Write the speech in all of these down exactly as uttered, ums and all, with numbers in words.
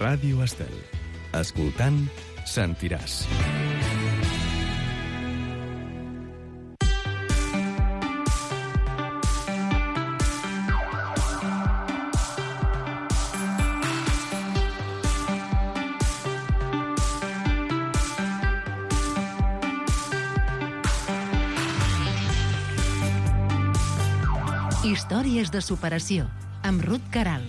Ràdio Estel. Escoltant, sentiràs. Històries de superació, amb Ruth Caral.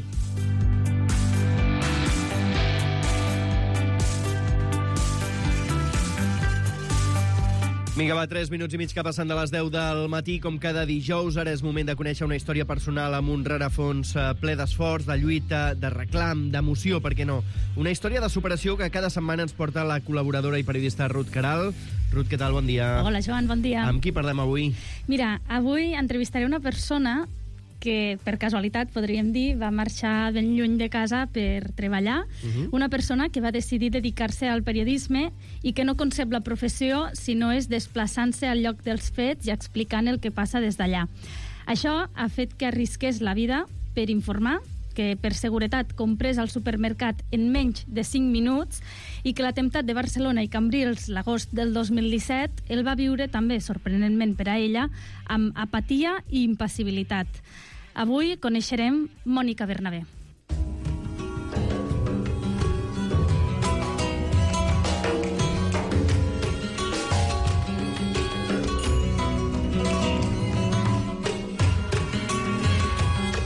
Vinga, va, tres minuts i mig que passen de les deu del matí, com cada dijous. Ara és moment de conèixer una història personal amb un rerefons ple d'esforç, de lluita, de reclam, d'emoció, per què no? Una història de superació que cada setmana ens porta la col·laboradora i periodista Ruth Caral. Ruth, què tal? Bon dia. Hola, Joan, bon dia. Amb qui parlem avui? Mira, avui entrevistaré una persona que, per casualitat, podríem dir, va marxar ben lluny de casa per treballar. Uh-huh. Una persona que va decidir dedicar-se al periodisme i que no concep la professió si no és desplaçant-se al lloc dels fets i explicant el que passa des d'allà. Això ha fet que arrisqués la vida per informar, que per seguretat comprés al supermercat en menys de cinc minuts i que l'atemptat de Barcelona i Cambrils l'agost del dos mil disset el va viure també, sorprenentment per a ella, amb apatia i impassibilitat. Avui coneixerem Mònica Bernabé.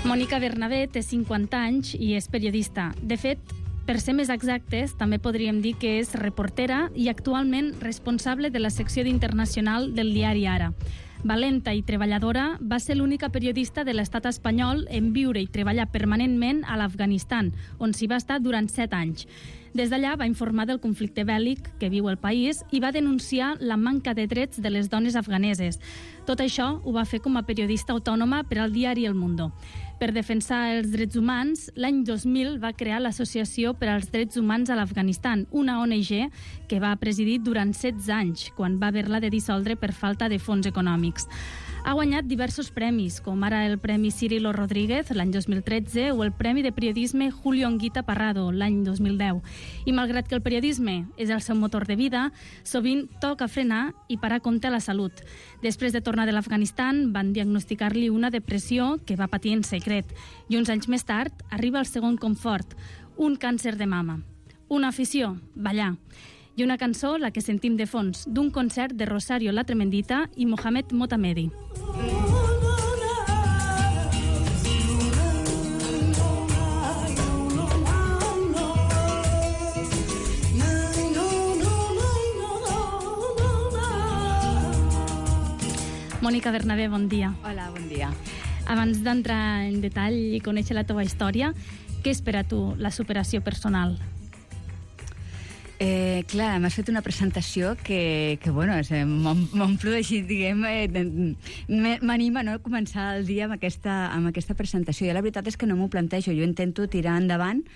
Mònica Bernabé té cinquanta anys i és periodista. De fet, per ser més exactes, també podríem dir que és reportera i actualment responsable de la secció d'Internacional del diari Ara. Valenta i treballadora, va ser l'única periodista de l'estat espanyol en viure i treballar permanentment a l'Afganistan, on s'hi va estar durant set anys. Des d'allà va informar del conflicte bèl·lic que viu el país i va denunciar la manca de drets de les dones afganeses. Tot això ho va fer com a periodista autònoma per al diari El Mundo. Per defensar els drets humans, l'any dos mil va crear l'Associació per als Drets Humans a l'Afganistan, una O N G que va presidir durant setze anys, quan va haver-la de dissoldre per falta de fons econòmics. Ha guanyat diversos premis, com ara el Premi Cirilo Rodríguez l'any dos mil tretze o el Premi de Periodisme Julio Anguita Parrado l'any dos mil deu. I malgrat que el periodisme és el seu motor de vida, sovint toca frenar i parar compte a la salut. Després de tornar de l'Afganistan, van diagnosticar-li una depressió que va patir en secret. I uns anys més tard arriba el segon confort, un càncer de mama. Una afició, ballar. I una cançó, la que sentim de fons, d'un concert de Rosario La Tremendita i Mohamed Motamedi. Mònica Bernabé, bon dia. Hola, bon dia. Abans d'entrar en detall i conèixer la teva història, què és per a tu la superació personal? Eh, clar, m'has fet una presentació que, que bueno, m'omplo així, diguem, eh, m'anima, no?, a començar el dia amb aquesta, amb aquesta presentació. I la veritat és que no m'ho plantejo, jo intento tirar endavant,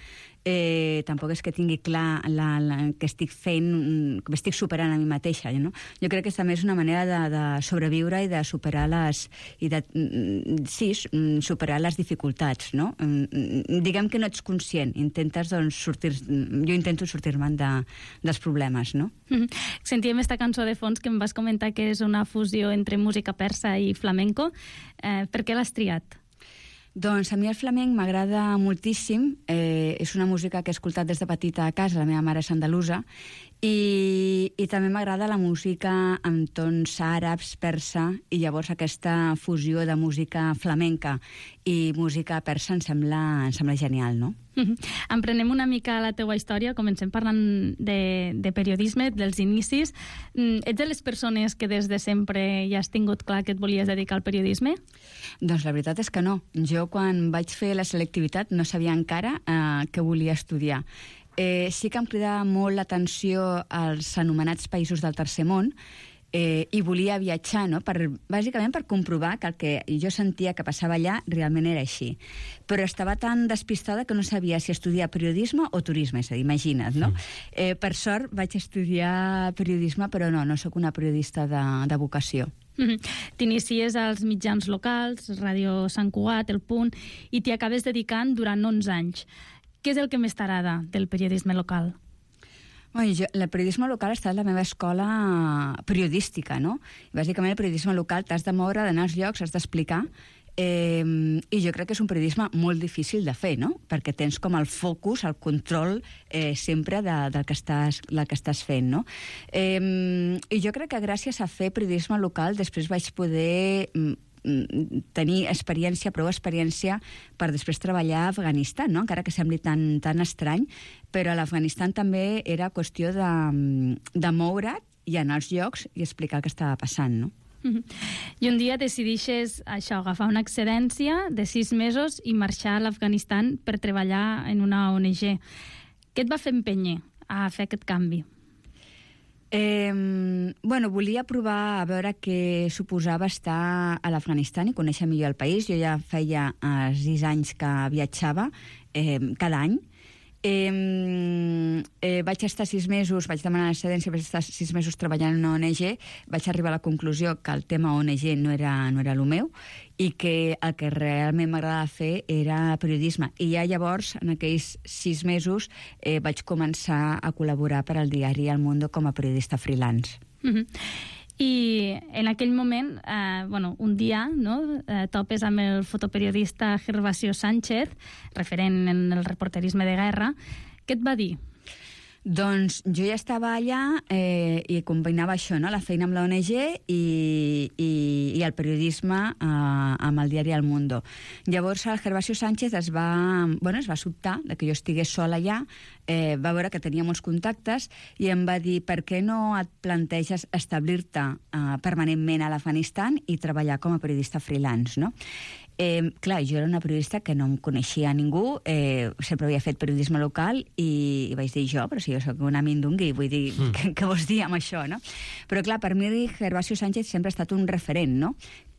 eh, tampoc és que tingui clar la, la, que estic fent, que m'estic superant a mi mateixa, no? Jo crec que també és una manera de, de sobreviure i de superar les, i de, sí, superar les dificultats, no? Diguem que no ets conscient, intentes, doncs, sortir, jo intento sortir-me'n de, dels problemes, no? Mm-hmm. Sentíem esta cançó de fons que em vas comentar que és una fusió entre música persa i flamenco. Eh, per què l'has triat? Doncs a mi el flamenc m'agrada moltíssim, eh, és una música que he escoltat des de petita a casa, la meva mare és andalusa, i, i també m'agrada la música amb tons àrabs, persa, i llavors aquesta fusió de música flamenca i música persa em sembla, em sembla genial, no? Mm-hmm. Emprenem una mica la teua història, comencem parlant de, de periodisme, dels inicis. Mm, ets de les persones que des de sempre ja has tingut clar que et volies dedicar al periodisme? Doncs la veritat és que no. Jo quan vaig fer la selectivitat no sabia encara eh, què volia estudiar. Eh, sí que em cridava molt l'atenció als anomenats països del tercer món, eh, i volia viatjar, no?, per, bàsicament per comprovar que el que jo sentia que passava allà realment era així. Però estava tan despistada que no sabia si estudiar periodisme o turisme, és a dir, imagina't, no? Eh, per sort vaig estudiar periodisme, però no, no sóc una periodista de, de vocació. Mm-hmm. T'inicies als mitjans locals, Ràdio Sant Cugat, El Punt, i t'hi acabes dedicant durant onze anys. què és el que més t'agrada del periodisme local? Bueno, jo, el periodisme local ha estat la meva escola periodística, no? Bàsicament, el periodisme local t'has de moure, d'anar als llocs, has d'explicar. Eh, I jo crec que és un periodisme molt difícil de fer, no? Perquè tens com el focus, el control eh, sempre de, del que estàs, del que estàs fent, no? Eh, I jo crec que gràcies a fer periodisme local després vaig poder tenir experiència, prou experiència per després treballar a Afganistan, no? Encara que sembli tan, tan estrany, però a l'Afganistan també era qüestió de, de moure't i anar als llocs i explicar el que estava passant, no? I un dia decidixes això, agafar una excedència de sis mesos i marxar a l'Afganistan per treballar en una O N G. Què et va fer empènyer a fer aquest canvi? Eh, bueno, volia provar a veure què suposava estar a l'Afganistan i conèixer millor el país. Jo ja feia eh, sis anys que viatjava eh, cada any. Eh, eh, vaig estar sis mesos, vaig demanar l'excedència, vaig estar sis mesos treballant en una O N G, vaig arribar a la conclusió que el tema O N G no era, no era el meu i que el que realment m'agradava fer era periodisme. I ja llavors, en aquells sis mesos, eh, vaig començar a col·laborar per al diari El Mundo com a periodista freelance. Mm-hmm. I en aquell moment, eh, bueno, un dia, no, eh, topes amb el fotoperiodista Gervasio Sánchez, referent en el reporterisme de guerra. Què et va dir? Doncs jo ja estava allà eh, i combinava això, no? La feina amb la O N G i, i, i el periodisme eh, amb el diari El Mundo. Llavors el Gervasio Sánchez es va, bueno, es va sobtar de que jo estigués sola allà, eh, va veure que tenia molts contactes i em va dir per què no et planteges establir-te eh, permanentment a l'Afganistan i treballar com a periodista freelance, no? Eh, clar, jo era una periodista que no em coneixia a ningú, eh, sempre havia fet periodisme local i, i vaig dir jo, però si jo soc una mindungui, vull dir, mm. què, què vols dir amb això, no? Però clar, per mi Gervasio Sánchez sempre ha estat un referent, no?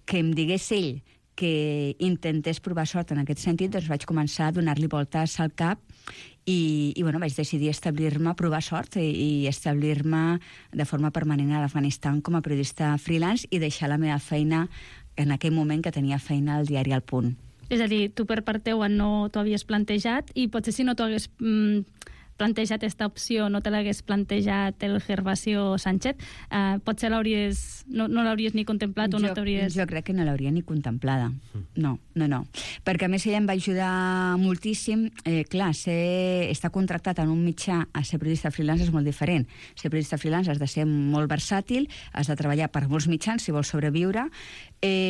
Que em digués ell que intentés provar sort en aquest sentit, doncs vaig començar a donar-li voltes al cap i, i bueno, vaig decidir establir-me, provar sort i, i establir-me de forma permanent a l'Afganistan com a periodista freelance i deixar la meva feina en aquell moment que tenia feina al diari El Punt. És a dir, tu per part teua no t'ho havies plantejat i potser si no t'ho hagués mm, plantejat aquesta opció, no te l'hagués plantejat el Gervasio Sánchez, eh, potser l'hauries, no, no l'hauries ni contemplat o jo, no t'hauries... Jo crec que no l'hauria ni contemplada. No, no, no. Perquè a més ella em va ajudar moltíssim. Eh, clar, ser, estar contractat en un mitjà a ser periodista freelance és molt diferent. Ser periodista freelance has de ser molt versàtil, has de treballar per molts mitjans si vols sobreviure, eh,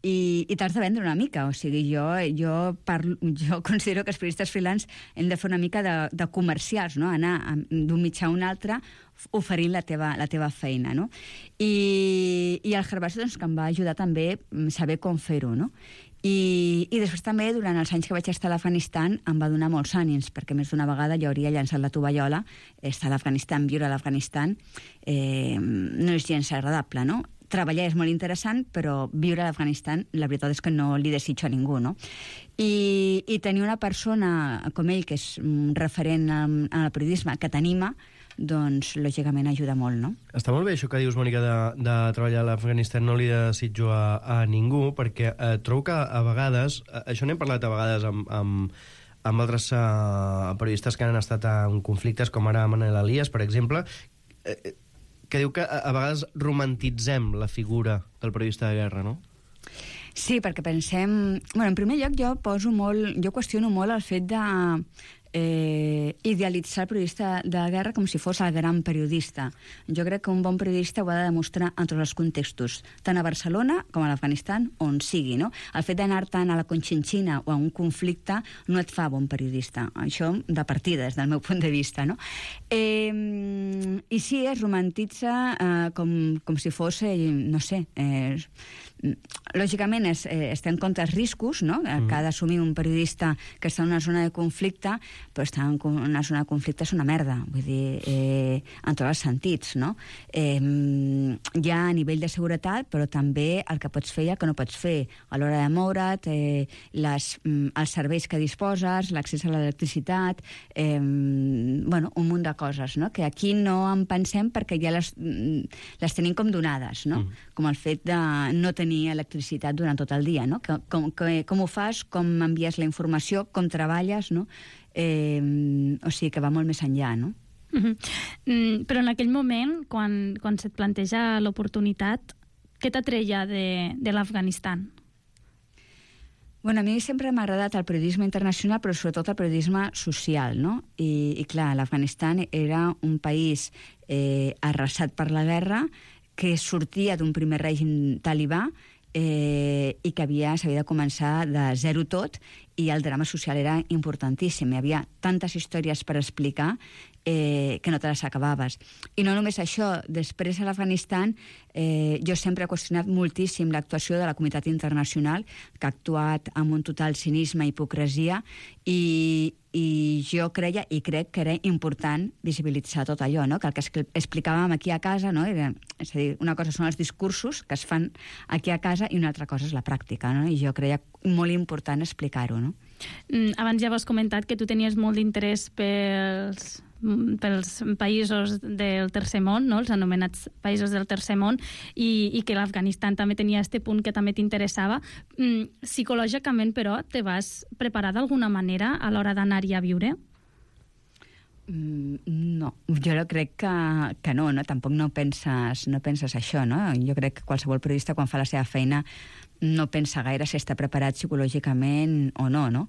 i, i t'has de vendre una mica. O sigui, jo, jo, parlo, jo considero que els periodistes freelance hem de fer una mica de, de comercials, no? Anar d'un mitjà a un altre oferint la teva, la teva feina, no? I, i el Gervasio, doncs, que em va ajudar també a saber com fer-ho, no? I, I després també, durant els anys que vaig estar a l'Afganistan, em va donar molts ànims, perquè més d'una vegada jo hauria llançat la tovallola. Estar a l'Afganistan, viure a l'Afganistan, eh, no és gens agradable, no? Treballar és molt interessant, però viure a l'Afganistan, la veritat és que no li desitjo a ningú, no? I, i tenir una persona com ell, que és un referent en, en el periodisme, que t'anima, doncs, lògicament, ajuda molt, no? Està molt bé això que dius, Mònica, de, de treballar a l'Afganistan, no li desitjo a, a ningú, perquè eh, trobo que a vegades, eh, això n'hem parlat a vegades amb, amb, amb altres eh, periodistes que han estat en conflictes, com ara Manel Elias, per exemple, eh, que diu que a, a vegades romantitzem la figura del periodista de guerra, no? Sí, perquè pensem... Bueno, en primer lloc, jo poso molt... Jo qüestiono molt el fet de eh, idealitzar el periodista de guerra com si fos el gran periodista. Jo crec que un bon periodista ho ha de demostrar en tots els contextos, tant a Barcelona com a l'Afganistan, on sigui, no? El fet d'anar tant a la Conchinchina o a un conflicte no et fa bon periodista. Això de partida, des del meu punt de vista, no? Eh, I sí, es romantitza eh, com, com si fos, eh, no sé... Eh, lògicament es, eh, es té en compte els riscos, no? Mm. Que ha d'assumir un periodista que està en una zona de conflicte, però estar en una zona de conflicte és una merda, vull dir, eh, en tots els sentits, no? Eh, hi ha a nivell de seguretat, però també el que pots fer i el que no pots fer a l'hora de moure't, eh, les, els serveis que disposes, l'accés a l'electricitat, eh, bueno, un munt de coses, no? Que aquí no en pensem perquè ja les, les tenim com donades, no? Mm. Com el fet de no tenir tenir electricitat durant tot el dia, no? Com, com, com ho fas, com envies la informació, com treballes, no? Eh, o sigui que va molt més enllà, no? Uh-huh. Mm, però en aquell moment, quan, quan se't planteja l'oportunitat, què t'atreia de, de l'Afganistan? Bueno, a mi sempre m'ha agradat el periodisme internacional, però sobretot el periodisme social, no? I, i clar, l'Afganistan era un país eh, arrasat per la guerra, que sortia d'un primer règim talibà eh, i que havia s'havia de començar de zero tot, i el drama social era importantíssim. Hi havia tantes històries per explicar eh, que no te les acabaves. I no només això, després a l'Afganistan eh, jo sempre he qüestionat moltíssim l'actuació de la comunitat internacional, que ha actuat amb un total cinisme i hipocresia, i, i jo creia i crec que era important visibilitzar tot allò, no? Que el que explicàvem aquí a casa, no? Era, és a dir, una cosa són els discursos que es fan aquí a casa i una altra cosa és la pràctica, no? I jo creia molt important explicar-ho, no? Mm, abans ja has comentat que tu tenies molt d'interès pels, pels països del tercer món, no? Els anomenats països del tercer món, i, i que l'Afganistan també tenia este punt que també t'interessava. Mm, psicològicament, però, te vas preparar d'alguna manera a l'hora d'anar-hi a viure? Mm, no, jo crec que, que no, no, tampoc no penses, no penses això, no? Jo crec que qualsevol periodista, quan fa la seva feina, no pensa gaire si està preparat psicològicament o no, no?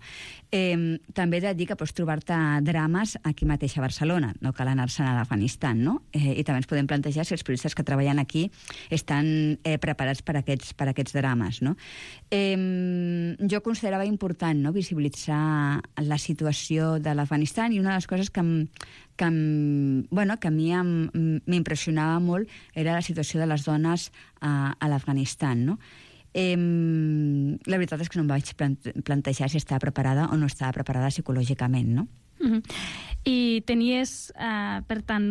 Eh, també he de dir que pots trobar-te drames aquí mateix a Barcelona, no cal anar-se'n a l'Afganistan, no? Eh, I també ens podem plantejar si els periodistes que treballen aquí estan eh, preparats per aquests, per aquests drames, no? Eh, jo considerava important, no?, visibilitzar la situació de l'Afganistan, i una de les coses que em, que, em, bueno, que a mi m'impressionava molt era la situació de les dones a, a l'Afganistan, no? Eh, la veritat és que no em vaig plantejar si estava preparada o no estava preparada psicològicament, no? Uh-huh. I tenies, uh, per tant,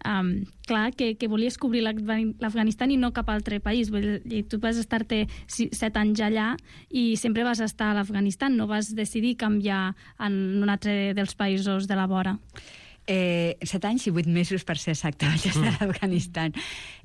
um, clar, que, que volies cobrir l'Afganistan i no cap altre país. Vull dir, tu vas estar-te set anys allà i sempre vas estar a l'Afganistan, no vas decidir canviar en un altre dels països de la vora. Eh, set anys i vuit mesos, per ser exacte, vaig estar a l'Afganistan.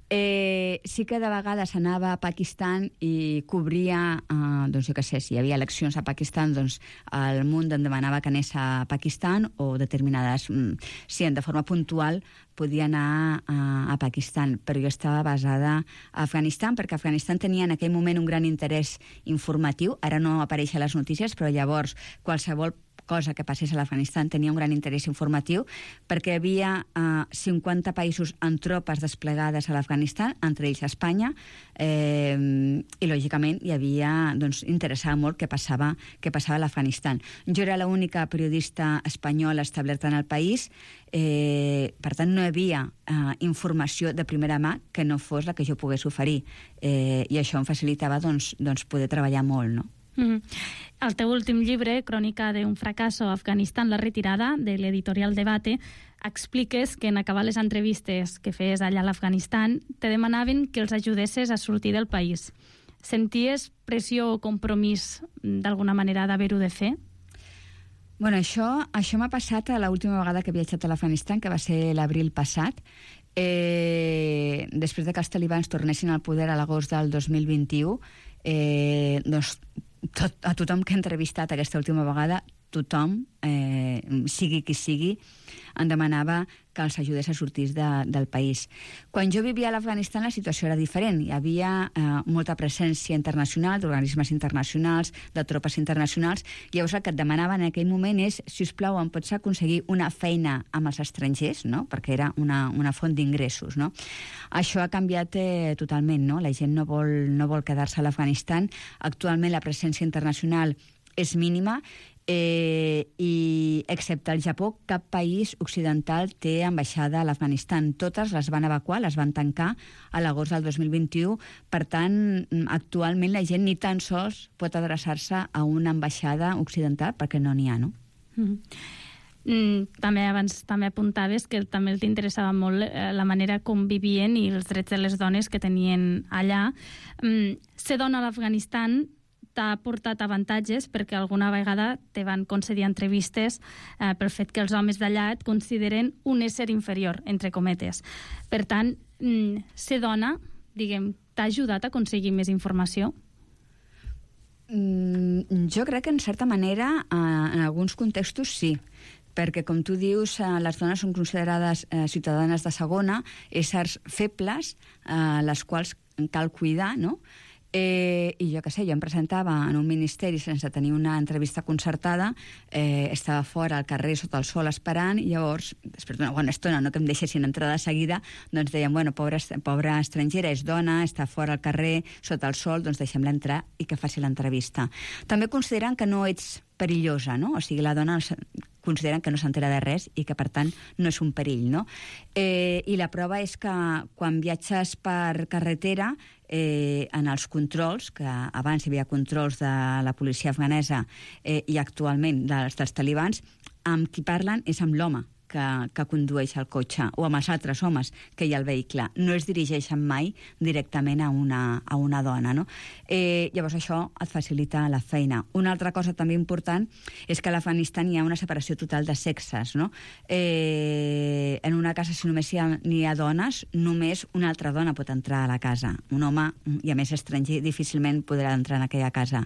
Eh, sí que de vegades anava a Pakistan i cobria, eh, doncs jo què sé, si hi havia eleccions a Pakistan, doncs el Munt em demanava que anés a Pakistan, o determinades, mm, sí, de forma puntual podia anar a, a Pakistan, però jo estava basada a Afganistan, perquè Afganistan tenia en aquell moment un gran interès informatiu, ara no apareix a les notícies, però llavors qualsevol cosa que passés a l'Afganistan tenia un gran interès informatiu, perquè hi havia eh, cinquanta països amb tropes desplegades a l'Afganistan, entre ells Espanya, eh, i lògicament hi havia, doncs, interessava molt què passava, què passava a l'Afganistan. Jo era l'única periodista espanyola establerta en el país, eh, per tant no hi havia eh, informació de primera mà que no fos la que jo pogués oferir, eh, i això em facilitava, doncs, doncs poder treballar molt, no? Mm-hmm. El teu últim llibre, Crònica d'un fracasso, Afganistan, la retirada, de l'editorial Debate, expliques que en acabar les entrevistes que feies allà a l'Afganistan te demanaven que els ajudessis a sortir del país. Senties pressió o compromís d'alguna manera d'haver-ho de fer? Bueno, això, això m'ha passat a l'última vegada que he viatjat a l'Afganistan, que va ser l'abril passat. Eh, després de que els talibans tornessin al poder a l'agost del dos mil vint-i-u, eh, doncs tot, a tothom que he entrevistat aquesta última vegada, tothom, eh, sigui qui sigui, em demanava que els ajudés a sortir de, del país. Quan jo vivia a l'Afganistan la situació era diferent. Hi havia eh, molta presència internacional, d'organismes internacionals, de tropes internacionals. Llavors el que et demanaven en aquell moment és, si us plau, em pots aconseguir una feina amb els estrangers, no? Perquè era una, una font d'ingressos, no? Això ha canviat eh, totalment, no? La gent no vol, no vol quedar-se a l'Afganistan. Actualment la presència internacional és mínima, Eh, i excepte el Japó, cap país occidental té ambaixada a l'Afganistan. Totes les van evacuar, les van tancar a l'agost del dos mil vint-i-u. Per tant, actualment la gent ni tan sols pot adreçar-se a una ambaixada occidental perquè no n'hi ha, no? Mm. Mm, també abans també apuntaves que també t'interessava molt eh, la manera com vivien i els drets de les dones que tenien allà. Mm, ser dona a l'Afganistan t'ha portat avantatges perquè alguna vegada te van concedir entrevistes eh, pel fet que els homes d'allà et consideren un ésser inferior, entre cometes. Per tant, mm, ser dona, diguem, t'ha ajudat a aconseguir més informació? Mm, jo crec que, en certa manera, eh, en alguns contextos sí, perquè, com tu dius, eh, les dones són considerades eh, ciutadanes de segona, éssers febles, eh, les quals cal cuidar, no? Eh, I jo què sé, jo em presentava en un ministeri sense tenir una entrevista concertada, eh, estava fora al carrer sota el sol esperant, i llavors, després d'una bona estona, no que em deixessin entrar de seguida, doncs deien, bueno, pobra, pobra estrangera, és dona, està fora al carrer sota el sol, doncs deixem-la entrar i que faci l'entrevista. També consideren que no ets perillosa, no? O sigui, la dona consideren que no s'entera de res i que, per tant, no és un perill, no? Eh, I la prova és que quan viatges per carretera, eh, en els controls, que abans hi havia controls de la policia afganesa eh, i actualment dels, dels talibans, amb qui parlen és amb l'home que, que condueix el cotxe, o amb els altres homes que hi ha al vehicle. No es dirigeixen mai directament a una, a una dona, no? Eh, llavors això et facilita la feina. Una altra cosa també important és que a l'Afganistan hi ha una separació total de sexes, no? Eh, en una casa, si només hi ha, hi ha dones, només una altra dona pot entrar a la casa. Un home, i a més estranger, difícilment podrà entrar en aquella casa.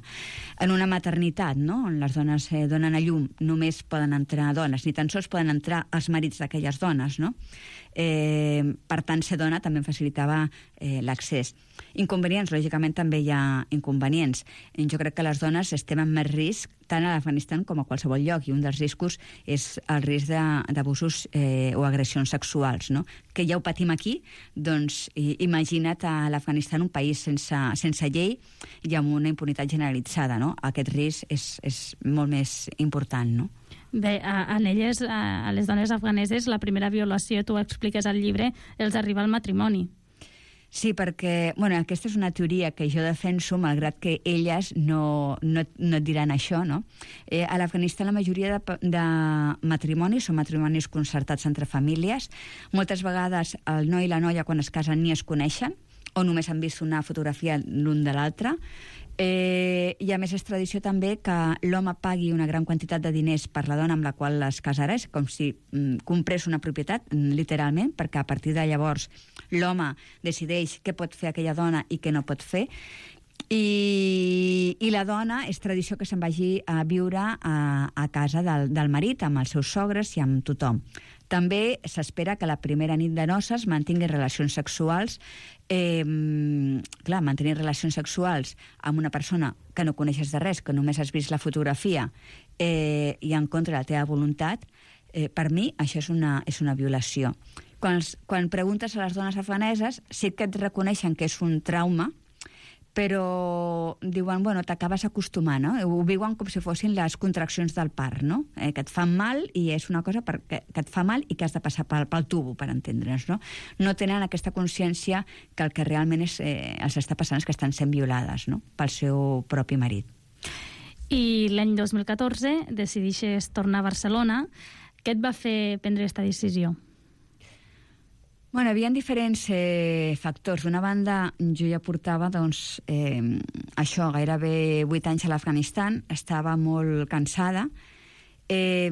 En una maternitat, no?, on les dones eh, donen a llum, només poden entrar dones, ni tan sols poden entrar els marits d'aquelles dones, no? Eh, per tant, ser dona també em facilitava eh, l'accés. Inconvenients, lògicament també hi ha inconvenients. Jo crec que les dones estem en més risc tant a l'Afganistan com a qualsevol lloc, i un dels riscos és el risc d'abusos eh, o agressions sexuals, no? Que ja ho patim aquí, doncs i, imagina't a l'Afganistan, un país sense, sense llei i amb una impunitat generalitzada, no? Aquest risc és, és molt més important, no? Bé, a, a elles, a, a les dones afganeses, la primera violació, tu ho expliques al llibre, els arriba al matrimoni. Sí, perquè, bueno, aquesta és una teoria que jo defenso, malgrat que elles no, no, no et diran això, no? Eh, a l'Afganistan la majoria de, de matrimonis són matrimonis concertats entre famílies. Moltes vegades el noi i la noia, quan es casen, ni es coneixen, o només han vist una fotografia l'un de l'altre. Eh, I a més és tradició també que l'home pagui una gran quantitat de diners per la dona amb la qual es casarà, és com si mm, comprés una propietat, mm, literalment, perquè a partir de llavors l'home decideix què pot fer aquella dona i què no pot fer. I, i la dona és tradició que se'n vagi a viure a, a casa del, del marit, amb els seus sogres i amb tothom. També s'espera que la primera nit de noces mantingui relacions sexuals. Eh, clar, mantenir relacions sexuals amb una persona que no coneixes de res, que només has vist la fotografia eh, i en contra de la teva voluntat, eh, per mi això és una, és una violació. Quan, quan preguntes a les dones afganeses, sí que et reconeixen que és un trauma, però diuen, bueno, t'acabes acostumant, no? Ho viuen com si fossin les contraccions del part, no? Eh, que et fan mal i és una cosa per, que, que et fa mal i que has de passar pel, pel tubo, per entendre'ns, no? No tenen aquesta consciència que el que realment és, eh, els està passant és que estan sent violades, no?, pel seu propi marit. I l'any dos mil catorze decidixes tornar a Barcelona. Què et va fer prendre aquesta decisió? Bueno, hi havia diferents eh, factors. D'una banda, jo ja portava, doncs, eh, això, gairebé vuit anys a l'Afganistan, estava molt cansada. Eh,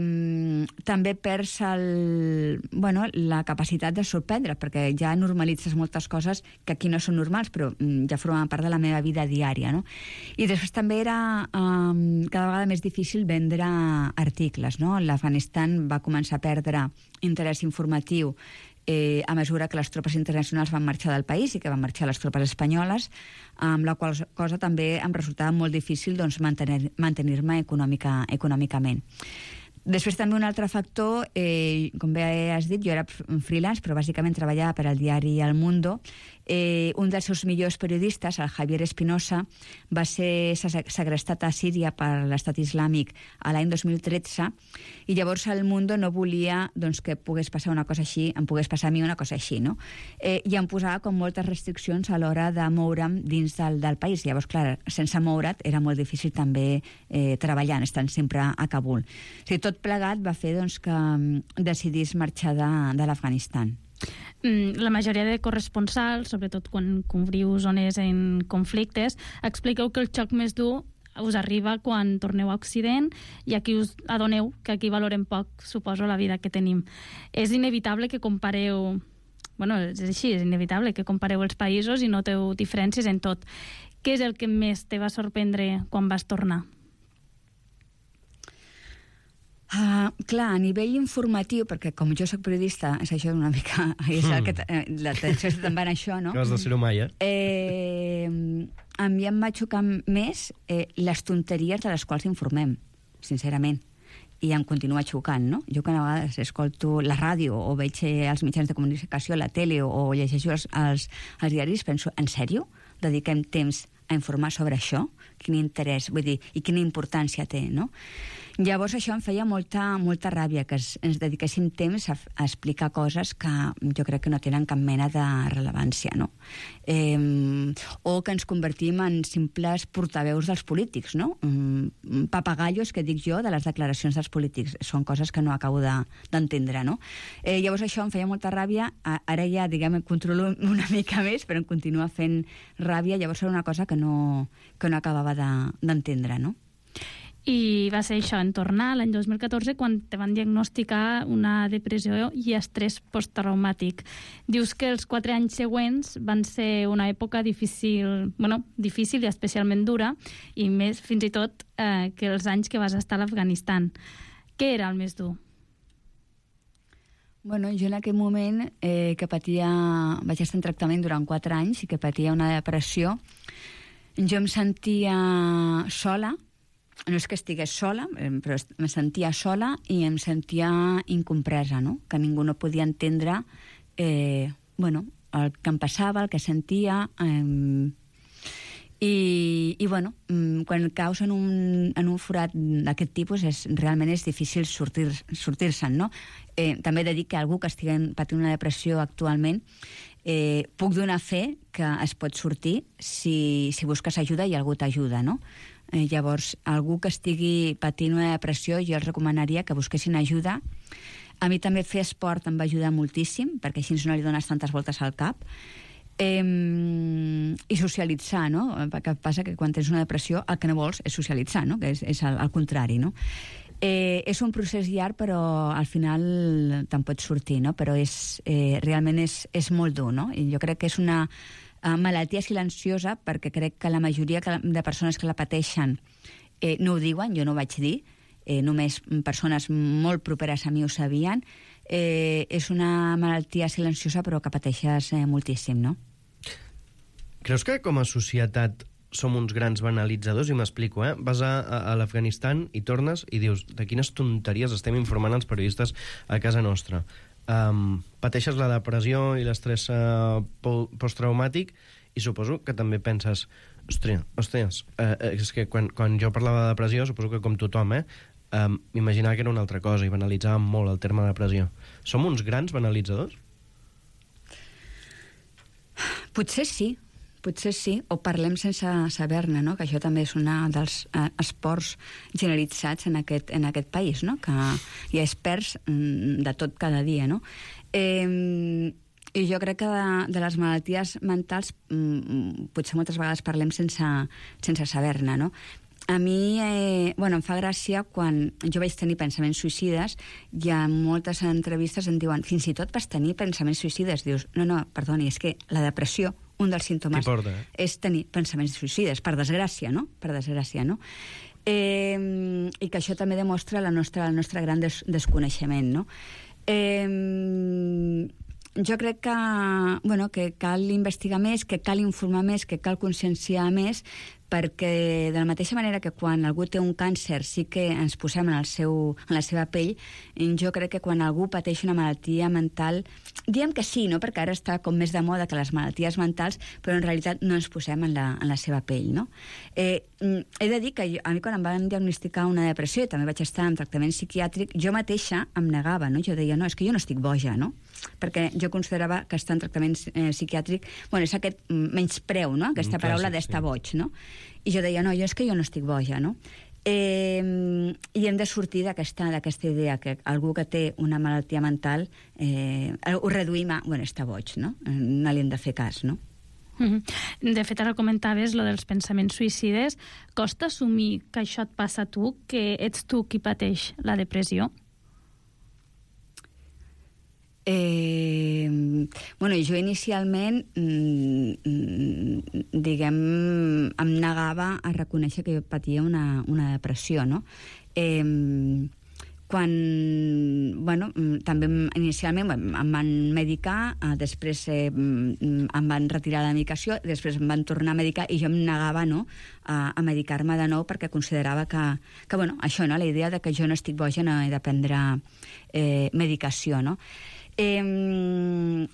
també perds el, bueno, la capacitat de sorprendre, perquè ja normalitzes moltes coses que aquí no són normals, però ja formen part de la meva vida diària, no? I després també era eh, cada vegada més difícil vendre articles, no? L'Afganistan va començar a perdre interès informatiu Eh, a mesura que les tropes internacionals van marxar del país i que van marxar les tropes espanyoles, amb la qual cosa també em resultava molt difícil, doncs, mantenir, mantenir-me econòmica, econòmicament. Després també un altre factor, eh, com bé has dit, jo era freelance, però bàsicament treballava per al diari El Mundo. Eh, un dels seus millors periodistes, el Javier Espinosa, va ser segrestat a Síria per l'estat islàmic a l'any dos mil tretze, i llavors El Mundo no volia, doncs, que pogués passar una cosa així, em pogués passar a mi una cosa així, no? Eh, I em posava com moltes restriccions a l'hora de moure'm dins del, del país. Llavors, clar, sense moure't era molt difícil també eh, treballant, estant sempre a Kabul. O sigui, tot plegat va fer, doncs, que decidís marxar de, de l'Afganistan. La majoria de corresponsals, sobretot quan cobriu zones en conflictes, expliqueu que el xoc més dur us arriba quan torneu a Occident i aquí us adoneu que aquí valorem poc, suposo, la vida que tenim. És inevitable que compareu bueno, és així, és inevitable que compareu els països i noteu diferències en tot. Què és el que més te va sorprendre quan vas tornar? Uh, clar, a nivell informatiu, perquè com jo soc periodista, és això una mica... És el que eh, l'atenció te'n va en això, no? Que has de ser-ho mai, eh? eh? A mi em va xocar més eh, les tonteries de les quals informem, sincerament. I em continua xocant, no? Jo que a vegades escolto la ràdio o veig els mitjans de comunicació, la tele, o, o llegeixo els, els, els diaris, penso, en sèrio? Dediquem temps a informar sobre això? Quin interès, vull dir, i quina importància té, no? Llavors això em feia molta, molta ràbia, que es, ens dediquéssim temps a, a explicar coses que jo crec que no tenen cap mena de rellevància, no? Eh, o que ens convertim en simples portaveus dels polítics, no? Mm, papagallos, que dic jo, de les declaracions dels polítics. Són coses que no acabo d'entendre, de, no? Eh, llavors això em feia molta ràbia, ara ja, diguem, em controlo una mica més, però em continua fent ràbia, llavors era una cosa que no, que no acabava d'entendre, no? I va ser això, en tornar l'any dos mil catorze, quan te van diagnosticar una depressió i estrès posttraumàtic. Dius que els quatre anys següents van ser una època difícil, bueno, difícil i especialment dura, i més fins i tot eh, que els anys que vas estar a l'Afganistan. Què era el més dur? Bueno, jo en aquell moment eh, que patia... Vaig estar en tractament durant quatre anys i que patia una depressió, jo em sentia sola. No és que estigués sola, però em sentia sola i em sentia incompresa, no? Que ningú no podia entendre eh, bueno, el que em passava, el que sentia... Eh, i, i bueno, quan caus en un, en un forat d'aquest tipus és, realment és difícil sortir-se'n, sortir no? Eh, també he de dir que algú que estigui patint una depressió actualment eh, puc donar fe que es pot sortir si, si busques ajuda i algú t'ajuda, no? Eh, llavors, algú que estigui patint una depressió, jo els recomanaria que busquessin ajuda. A mi també fer esport em va ajudar moltíssim, perquè així no li dones tantes voltes al cap. Eh, I socialitzar, no? Perquè passa que quan tens una depressió el que no vols és socialitzar, no? Que és, és el, el contrari, no? Eh, és un procés llarg, però al final te'n pots sortir, no? Però és, eh, realment és, és molt dur, no? I jo crec que és una Uh, malaltia silenciosa, perquè crec que la majoria de persones que la pateixen eh, no ho diuen, jo no ho vaig dir, eh, només persones molt properes a mi ho sabien. Eh, és una malaltia silenciosa però que pateixes eh, moltíssim, no? Creus que com a societat som uns grans banalitzadors? I m'explico, eh? Vas a, a, a l'Afganistan i tornes i dius de quines tonteries estem informant els periodistes a casa nostra. Um, pateixes la depressió i l'estrès uh, posttraumàtic i suposo que també penses ostres, ostres uh, és que quan, quan jo parlava de depressió suposo que com tothom eh, um, m'imaginava que era una altra cosa i banalitzàvem molt el terme depressió. Som uns grans banalitzadors? Potser sí, potser sí, o parlem sense saber-ne, no? Que això també és un dels eh, esports generalitzats en aquest, en aquest país, no? Que hi ha experts mm, de tot cada dia, no? Eh, I jo crec que de, de les malalties mentals mm, potser moltes vegades parlem sense, sense saber-ne, no? A mi, eh, bueno, em fa gràcia quan jo vaig tenir pensaments suïcides i en moltes entrevistes em diuen fins i tot vas tenir pensaments suïcides. Dius, no, no, perdoni, és que la depressió, un dels símptomes porta, eh? és tenir pensaments suïcides, per desgràcia, no? Per desgràcia, no? Eh, I que això també demostra la nostra, el nostre gran des, desconeixement, no? Eh, jo crec que, bueno, que cal investigar més, que cal informar més, que cal conscienciar més, perquè de la mateixa manera que quan algú té un càncer sí que ens posem en, el seu, en la seva pell, jo crec que quan algú pateix una malaltia mental, diem que sí, no? Perquè ara està com més de moda que les malalties mentals, però en realitat no ens posem en la, en la seva pell, no? Eh, he de dir que jo, a mi quan em van diagnosticar una depressió i també vaig estar en tractament psiquiàtric, jo mateixa em negava, no? Jo deia, no, és que jo no estic boja, no? Perquè jo considerava que estar en tractament eh, psiquiàtric, bueno, és aquest menyspreu, no? Aquesta mm, paraula clàssic, d'estar sí. boig, no? I jo deia, no, jo és que jo no estic boja, no? Eh, I hem de sortir d'aquesta idea que algú que té una malaltia mental eh, ho reduïm a, bueno, està boig, no? No li hem de fer cas, no? Mm-hmm. De fet, ara comentaves lo dels pensaments suïcides. Costa assumir que això et passa a tu, que ets tu qui pateix la depressió? Eh, bueno, jo inicialment, mm, diguem, em negava a reconèixer que jo patia una, una depressió, no? Eh, quan, bueno, també inicialment em van medicar, després eh, em van retirar la medicació, després em van tornar a medicar i jo em negava, no?, a, a medicar-me de nou perquè considerava que, que, bueno, això, no?, la idea de que jo no estic boja, no he de prendre eh, medicació, no? Eh,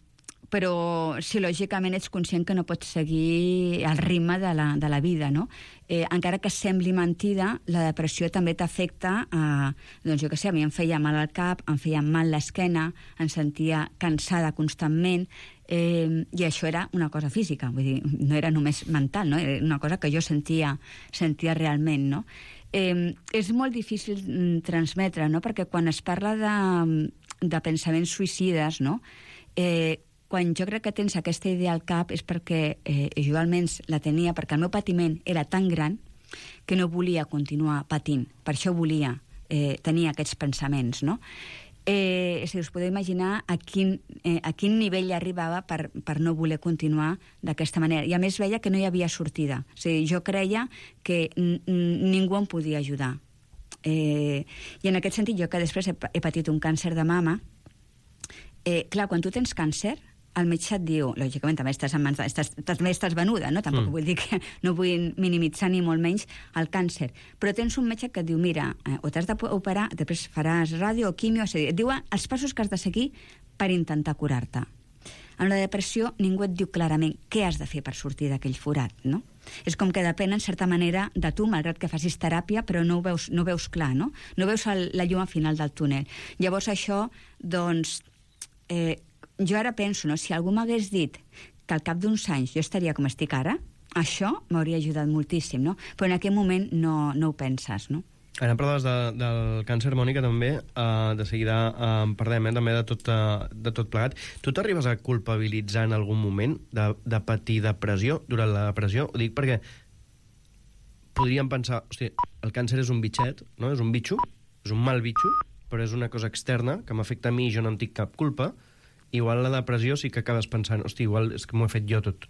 però si lògicament ets conscient que no pots seguir el ritme de la, de la vida, no? Eh, encara que sembli mentida, la depressió també t'afecta a... Doncs jo què sé, a mi em feia mal al cap, em feia mal l'esquena, em sentia cansada constantment, eh, i això era una cosa física, vull dir, no era només mental, no? Era una cosa que jo sentia, sentia realment, no? Eh, és molt difícil transmetre, no?, perquè quan es parla de, de pensaments suïcides, no?, eh, quan jo crec que tens aquesta idea al cap és perquè eh, jo almenys la tenia, perquè el meu patiment era tan gran que no volia continuar patint. Per això volia eh, tenir aquests pensaments, no? Eh, si us podeu imaginar a quin, eh, a quin nivell arribava per, per no voler continuar d'aquesta manera. I a més veia que no hi havia sortida. O sigui, jo creia que ningú em podia ajudar. Eh, I en aquest sentit, jo que després he, he patit un càncer de mama, eh, clar, quan tu tens càncer, el metge et diu, lògicament també estàs, en mans, estàs, també estàs venuda, no? Tampoc mm. vull dir que no vull minimitzar ni molt menys el càncer, però tens un metge que et diu, mira, eh, o t'has d'operar, després faràs ràdio o quimio, o sigui, et diuen els passos que has de seguir per intentar curar-te. En la depressió ningú et diu clarament què has de fer per sortir d'aquell forat, no? És com que depèn, en certa manera, de tu, malgrat que facis teràpia, però no ho veus, no ho veus clar, no? No veus el, la llum al final del túnel. Llavors això, doncs, eh, jo ara penso, no? Si algú m'hagués dit que al cap d'uns anys jo estaria com estic ara, això m'hauria ajudat moltíssim, no? Però en aquell moment no, no ho penses, no? Ara parlaves de, del càncer, Mònica, també. Uh, de seguida uh, parlem eh, també de tot, uh, de tot plegat. Tu t'arribes a culpabilitzar en algun moment de, de patir depressió durant la depressió? Ho dic perquè podríem pensar, hosti, el càncer és un bitxet, no? És un bitxo, és un mal bitxo, però és una cosa externa que m'afecta a mi i jo no en tinc cap culpa. Igual la depressió sí que acabes pensant, hosti, igual és que m'ho he fet jo tot.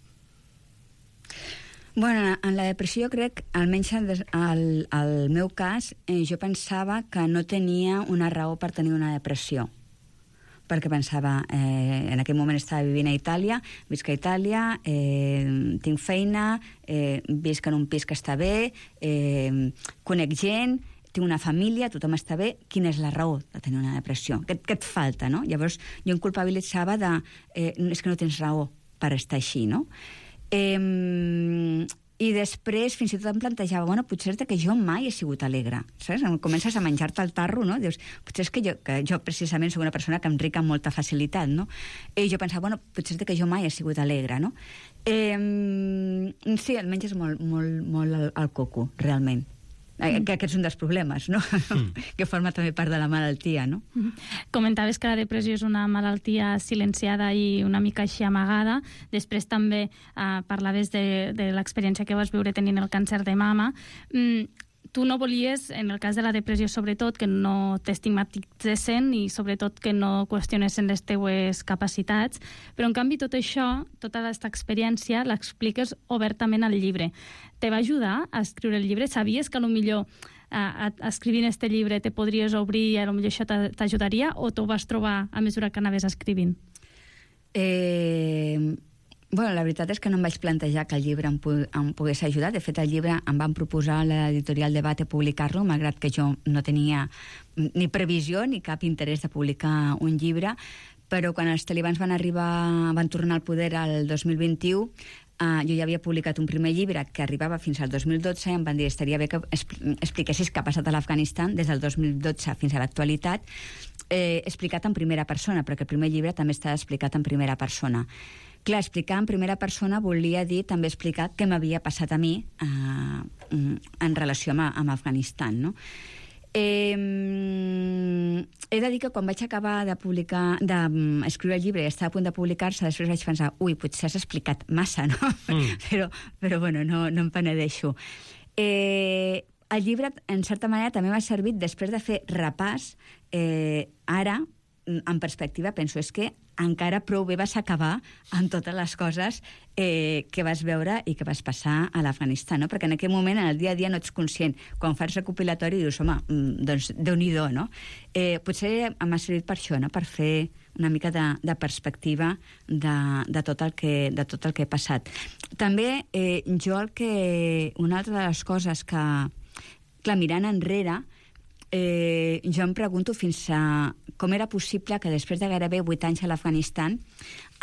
Bueno, en la depressió jo crec, almenys al, al meu cas, eh, jo pensava que no tenia una raó per tenir una depressió. Perquè pensava, eh, en aquell moment estava vivint a Itàlia, visc a Itàlia, eh, tinc feina, eh, visc en un pis que està bé, eh, conec gent, tinc una família, tothom està bé, quina és la raó de tenir una depressió? Què, què et falta, no? Llavors, jo em culpabilitzava de... Eh, és que no tens raó per estar així, no? Eh, I després, fins i tot em plantejava, bueno, potser és que jo mai he sigut alegre, saps? Comences a menjar-te el tarro, no? Dius, potser és que jo, que jo precisament soc una persona que em rica amb molta facilitat, no? I jo pensava, bueno, potser és que jo mai he sigut alegre, no? Eh, sí, almenys és molt, molt, molt el, el coco, realment. Que aquest és un dels problemes, no? Mm. Que forma també part de la malaltia, no? Comentaves que la depressió és una malaltia silenciada i una mica així amagada. Després també eh, parlaves de, de l'experiència que vas viure tenint el càncer de mama. Mm, tu no volies, en el cas de la depressió sobretot, que no t'estigmatitzessin i sobretot que no qüestionessin les teues capacitats, però en canvi tot això, tota aquesta experiència, l'expliques obertament al llibre. Te va ajudar a escriure el llibre? Sabies que potser eh, escrivint este llibre te podries obrir i potser això t'ajudaria, o t'ho vas trobar a mesura que anaves escrivint? Eh... Bueno, la veritat és que no em vaig plantejar que el llibre em, em pogués ajudar. De fet, el llibre em van proposar a l'editorial Debate publicar-lo, malgrat que jo no tenia ni previsió ni cap interès de publicar un llibre, però quan els talibans van arribar, van tornar al poder el dos mil vint-i-u, Uh, jo ja havia publicat un primer llibre que arribava fins al dos mil dotze i em van dir estaria bé que expliquessis què ha passat a l'Afganistan des del dos mil dotze fins a l'actualitat, eh, explicat en primera persona, perquè el primer llibre també està explicat en primera persona. Clar, explicar en primera persona volia dir també explicar què m'havia passat a mi eh, en relació amb, amb Afganistan, no? Eh, he de dir que quan vaig acabar de publicar, d'escriure el llibre i estava a punt de publicar-se, després vaig pensar, ui, potser has explicat massa, no? Mm. però, però bueno, no, no em penedeixo. Eh, el llibre, en certa manera, també m'ha servit després de fer repàs, eh, ara, en perspectiva, penso, és que encara prou bé vas acabar amb totes les coses eh, que vas veure i que vas passar a l'Afganistan, no? Perquè en aquell moment, en el dia a dia, no ets conscient. Quan fas recopilatori, dius, home, doncs Déu-n'hi-do, no? Eh, potser m'ha servit per això, no? Per fer una mica de, de perspectiva de, de, tot el que, de tot el que he passat. També, eh, jo el que... Una altra de les coses que... Clar, mirant enrere, eh, jo em pregunto fins a com era possible que després de gairebé vuit anys a l'Afganistan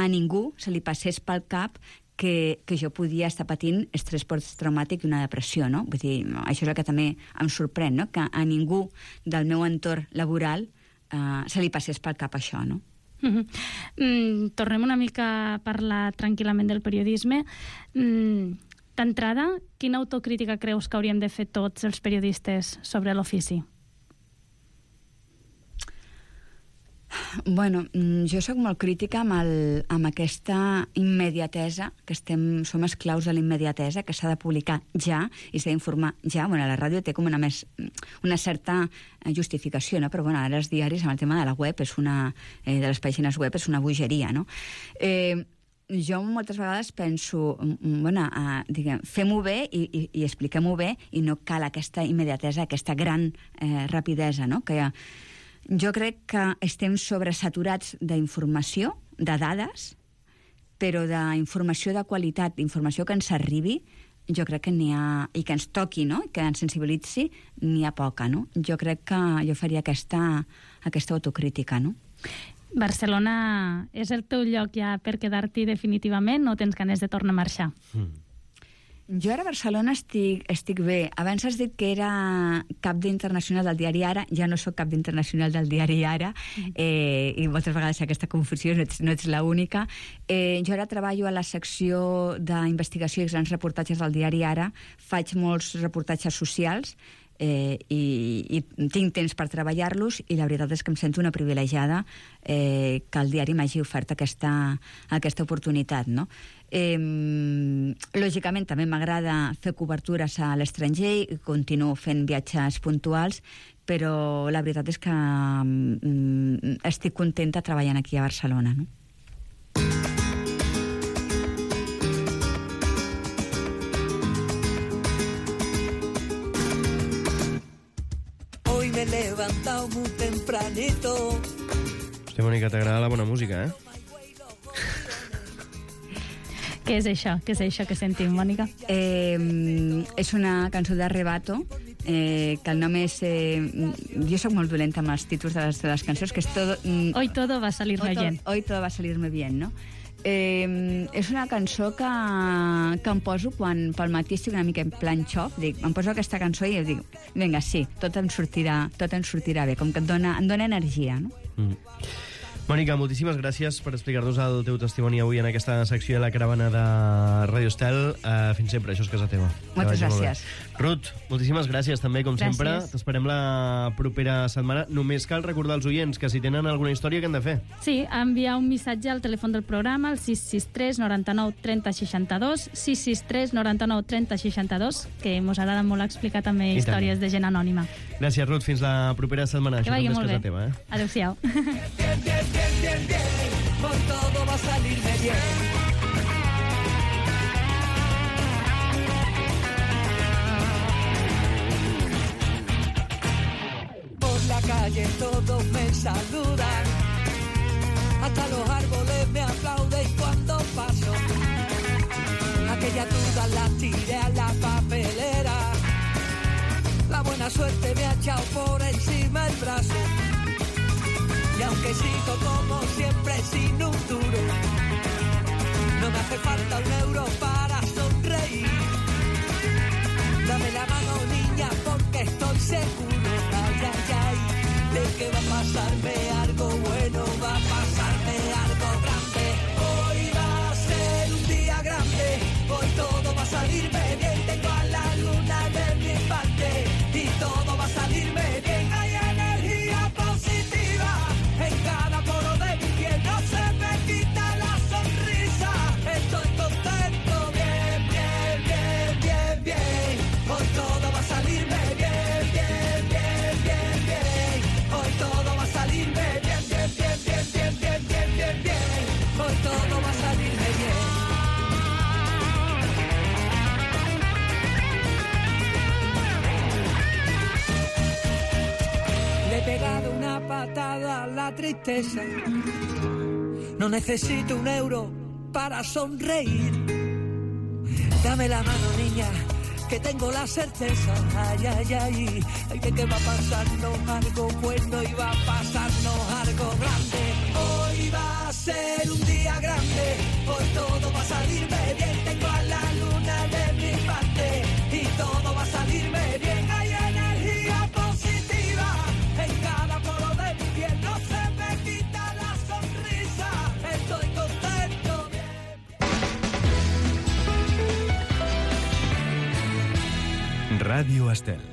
a ningú se li passés pel cap que, que jo podia estar patint estrès posttraumàtic i una depressió, no? Vull dir, això és el que també em sorprèn, no? Que a ningú del meu entorn laboral eh, se li passés pel cap això, no? Mm-hmm. Mm, tornem una mica a parlar tranquil·lament del periodisme. Mm, D'entrada, quina autocrítica creus que hauríem de fer tots els periodistes sobre l'ofici? Bueno, jo sóc molt crítica amb, el, amb aquesta immediatesa, que estem, som esclaus de la immediatesa, que s'ha de publicar ja i s'ha d'informar ja. Bueno, la ràdio té com una, més, una certa justificació, no? Però bueno, ara els diaris, amb el tema de la web, és una, eh, de les pàgines web, és una bogeria, no? Eh, jo moltes vegades penso, bueno, uh, diguem, fem-ho bé i, i, i expliquem-ho bé i no cal aquesta immediatesa, aquesta gran eh, rapidesa, no? Que ha, jo crec que estem sobresaturats d'informació, de dades, però d'informació de qualitat, d'informació que ens arribi, jo crec que n'hi ha... i que ens toqui, no? Que ens sensibilitzi, n'hi ha poca, no? Jo crec que jo faria aquesta, aquesta autocrítica, no? Barcelona és el teu lloc ja per quedar-t'hi definitivament o tens ganes de tornar a marxar? Mm. Jo ara a Barcelona estic, estic bé. Abans has dit que era cap d'internacional del diari Ara, ja no sóc cap d'internacional del diari Ara, eh, i moltes vegades hi ha aquesta confusió, no ets, no ets l'única. Eh, jo ara treballo a la secció d'investigació i grans reportatges del diari Ara, faig molts reportatges socials, Eh, i, i tinc temps per treballar-los i la veritat és que em sento una privilegiada eh, que el diari m'hagi ofert aquesta, aquesta oportunitat, no? Eh, lògicament també m'agrada fer cobertures a l'estranger i continuo fent viatges puntuals, però la veritat és que mm, estic contenta treballant aquí a Barcelona, no? Me he levantado muy tempranito. Hòstia, Mònica, t'agrada la bona música, eh? Què és això? Què és això que sentim, Mònica? Eh, és una cançó d'Arrebato, eh, que el nom és... Eh, jo sóc molt dolenta amb els títols de les, de les cançons, que és todo... Mm, Hoy todo va a salirme to, bien. Hoy todo va a salirme bien, no? Eh, és una cançó que, que em poso quan pel matí estic una mica en plan xof, dic, em poso aquesta cançó i dic, vinga, sí, tot em sortirà, tot em sortirà bé, com que et dona, em dona energia, no? Mm. Mònica, moltíssimes gràcies per explicar-nos el teu testimoni avui en aquesta secció de la caravana de Radio Estel. Uh, fins sempre, això és casa teva. Moltes gràcies. Ruth, moltíssimes gràcies també, com gràcies. sempre. T'esperem la propera setmana. Només cal recordar als oients que si tenen alguna història que han de fer. Sí, enviar un missatge al telèfon del programa, al sis sis tres noranta-nou trenta seixanta-dos, sis sis tres noranta-nou trenta seixanta-dos, que mos agrada molt explicar també històries de gent anònima. Gràcies, Ruth. Fins la propera setmana. Que això vagi també molt és bé. casa teva, eh? Adéu-siau. Bien, bien, bien, bien, bien, con todo va a salirme bien. Por la calle todos me saludan, hasta los árboles me aplauden cuando paso. Aquella duda la tiré a la papelera, la buena suerte me ha echado por encima el brazo. Y aunque sigo como siempre sin un duro, no me hace falta un euro para sonreír. Dame la mano, niña, porque estoy seguro, ay, ay, ay, de que va a pasarme algo bueno, va a pasarme algo grande. Hoy va a ser un día grande, hoy todo va a salirme bien. Tengo a la luna de mi parte y todo va a salirme bien. Hay energía positiva en cada poro de mi piel, no se me quita la sonrisa. Estoy contento, bien, bien, bien, bien, bien. Hoy todo va a salirme bien, bien, bien, bien, bien. Hoy todo va a salirme una patada a la tristeza. No necesito un euro para sonreír. Dame la mano, niña, que tengo la certeza. Ay, ay, ay, ay, de que va a pasarnos algo bueno y va a pasarnos algo grande. Hoy va a ser un día grande, hoy todo va a salirme bien. Tengo a la luna de mi parte y todo va a salirme bien. Hay energía positiva en cada poro de mi piel. No se me quita la sonrisa, estoy contento, bien, bien. Ràdio Estel.